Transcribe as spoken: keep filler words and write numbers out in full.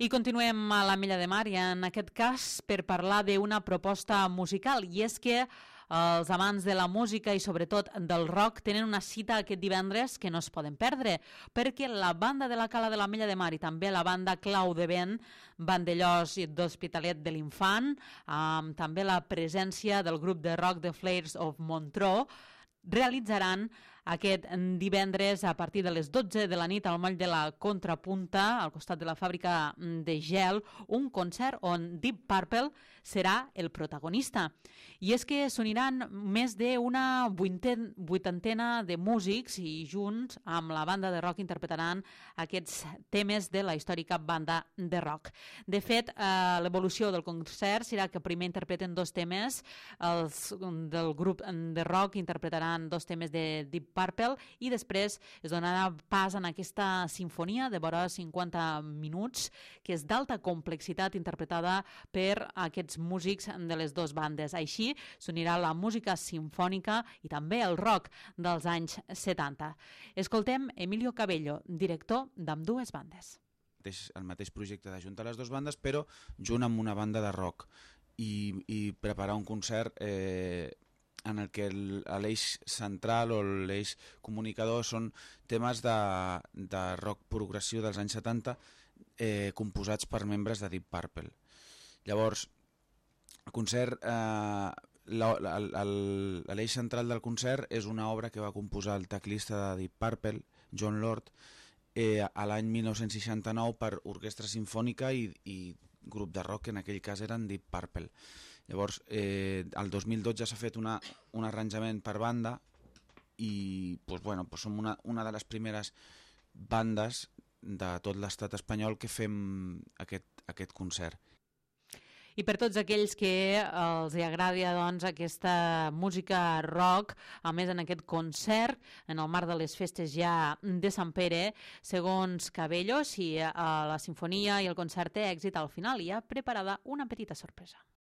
I continuem a l'Ametlla de Mar i en aquest cas per parlar d'una proposta musical, i és que els amants de la música i sobretot del rock tenen una cita aquest divendres que no es poden perdre, perquè la banda de la Cala de l'Ametlla de Mar i també la banda Clau de Vent, Vandellós i d'Hospitalet de l'Infant, amb també la presència del grup de rock The Flares of Montreux, realitzaran aquest divendres a partir de les dotze de la nit al moll de la Contrapunta, al costat de la fàbrica de gel, un concert on Deep Purple serà el protagonista. I és que s'uniran més d'una vuitantena de músics i junts amb la banda de rock interpretaran aquests temes de la històrica banda de rock. De fet, eh, l'evolució del concert serà que primer interpreten dos temes, els del grup de rock interpretaran dos temes de Deep Purple i després es donarà pas en aquesta sinfonia de vora cinquanta minuts que és d'alta complexitat interpretada per aquests músics de les dues bandes. Així s'unirà la música simfònica i també el rock dels anys setanta. Escoltem Emilio Cabello, director d'ambdues bandes. El mateix projecte d'ajuntar les dues bandes, però junt amb una banda de rock i, i preparar un concert eh, en el que l'eix central o l'eix comunicador són temes de, de rock progressiu dels anys setanta eh, composats per membres de Deep Purple. Llavors, el concert, eh, l'eix central del concert és una obra que va composar el teclista de Deep Purple, John Lord, eh, a l'any mil nou-cents seixanta-nou per orquestra simfònica i, i grup de rock, que en aquell cas eren Deep Purple. Llavors, eh, el dos mil dotze s'ha fet una, un arranjament per banda i pues, bueno, pues som una, una de les primeres bandes de tot l'estat espanyol que fem aquest, aquest concert. I per tots aquells que els agradi doncs, aquesta música rock, a més en aquest concert, en el marc de les festes ja de Sant Pere, segons Cabello, si la sinfonia i el concert té èxit, al final hi ha preparada una petita sorpresa.